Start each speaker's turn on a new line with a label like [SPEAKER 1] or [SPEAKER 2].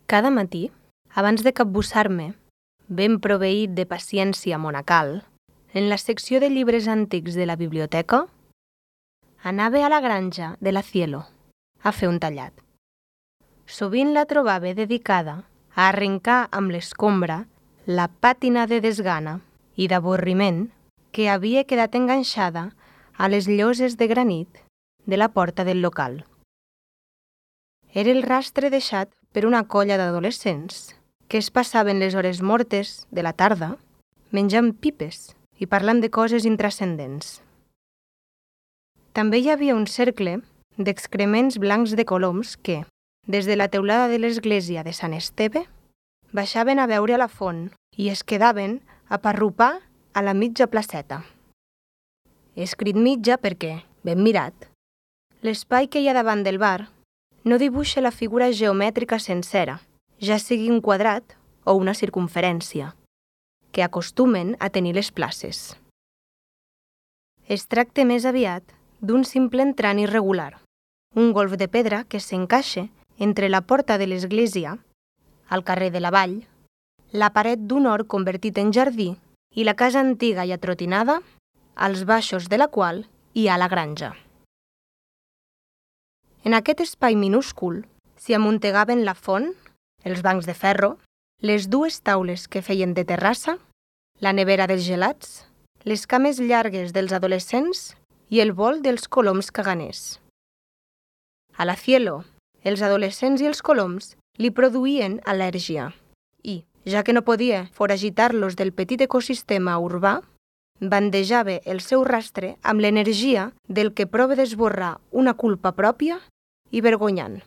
[SPEAKER 1] Cada matí, abans de capbussar-me, ben proveït de paciència monacal, en la secció de llibres antics de la biblioteca, anava a la granja de la Cielo a fer un tallat. Sovint la trobava dedicada a arrencar amb l'escombra la pàtina de desgana i d'avorriment que havia quedat enganxada a les lloses de granit de la porta del local. Era el rastre deixat per una colla d'adolescents que es passaven les hores mortes de la tarda menjant pipes i parlant de coses intrascendents. També hi havia un cercle d'excrements blancs de coloms que, des de la teulada de l'església de Sant Esteve, baixaven a veure a la font i es quedaven a parrupar a la mitja placeta. He escrit mitja perquè, ben mirat, l'espai que hi ha davant del bar no dibuixa la figura geomètrica sencera, ja sigui un quadrat o una circumferència, que acostumen a tenir les places. Es tracta més aviat d'un simple entrant irregular, un golf de pedra que s'encaixa entre la porta de l'església, al carrer de la Vall, la paret d'un hort convertit en jardí i la casa antiga i atrotinada, als baixos de la qual hi ha la granja. En aquest espai minúscul s'hi amuntegaven la font, els bancs de ferro, les dues taules que feien de terrassa, la nevera dels gelats, les cames llargues dels adolescents i el vol dels coloms caganers. A la Cielo, els adolescents i els coloms li produïen al·lèrgia i, ja que no podia foragitar-los del petit ecosistema urbà, bandejava el seu rastre amb l'energia del que prova d'esborrar una culpa pròpia i vergonyant.